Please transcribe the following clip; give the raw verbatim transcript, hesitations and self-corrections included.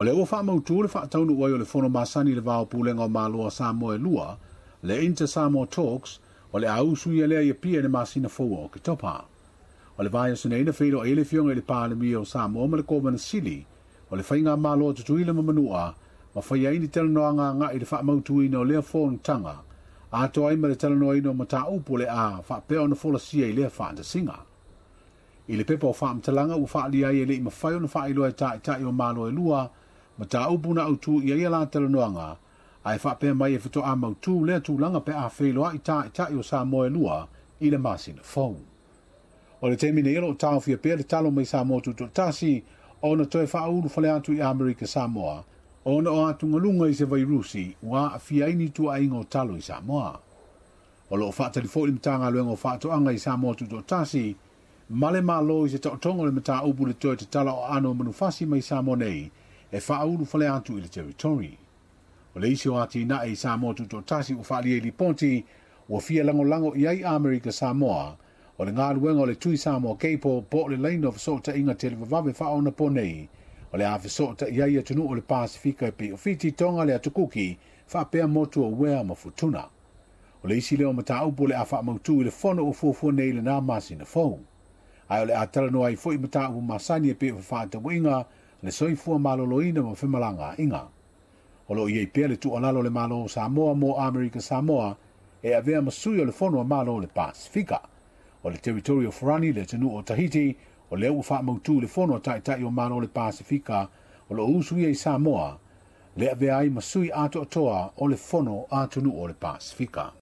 O lea ua faamautu le faataunuu ai o le fono masani i le va o Pulega o Malo a Samoa e lua, le Inter Samoa Talks, o le a usuia lea i Apia i le masina fou o Oketopa. O le vaiaso nei na feiloai ai le Afioga i le Palemia o Samoa ma le Kovana Sili o le Faigamalo a Tutuila ma Manua ma faia ai ni talanoaga agai i le faamautuina o lea fonotaga, atoa ai ma le talanoaina o mataupu o le a faapea ona folasia i lea faatasiga. I le pepa o faamatalaga ua faaalia ai e le i mafai ona faailoa e taitai o Malo e lua mataupu na autu i ai a la talanoaga, ae faapea mai e faatoa mautu lea tulaga pe a feiloai taitai o Samoa e lua i le masina fou. O le taimi nei o lo o taofia pea le talo mai Samoa Tutoatasi ona toe faaulu fale atu i Amerika Samoa ona o atugaluga i se vairusi ua aafia ai ni tuuaiga o talo i Samoa. O lo o faatali foi le Matagaluega o Faatoaga i Samoa Tutoatasi ma le Malo i se taotoga o le mataupu le toe tatala o aano o manufasi mai Samoa nei e faaulu fale atu i le territory. O le isi o atinae i Samoa Tutoatasi ua faaalia i lipoti ua fia lagolago i ai Amerika Samoa o le galuega o le Tui Samoa Cable po o le laina o fesootaiga televavave faaonapo nei o le a fesootai ai atunuu o le Pasifika e pei o Fiti, Tonga, le Atukuki, faapea motu o Uea ma Futuna. O le isi lea o mataupu o le a faamautu i le fono ua fuafua nei i lena masina fou. Ae o le a talanoa ai foi mataupu masani e pei o fefaatauaiga, le soifua maloloina ma femalagaaiga. O lo o i ai pea le tuualalo a le Malo o Samoa mo Amerika Samoa e avea ma sui o le fono a Malo o le Pasifika. O le Territory of Rani, le atunuu o Tahiti, o lea ua faamautu i le fono a taitai o Malo o le Pasifika o lo o usuia i Samoa, le avea ai ma sui atoatoa o le fono a atunuu o le Pasifika.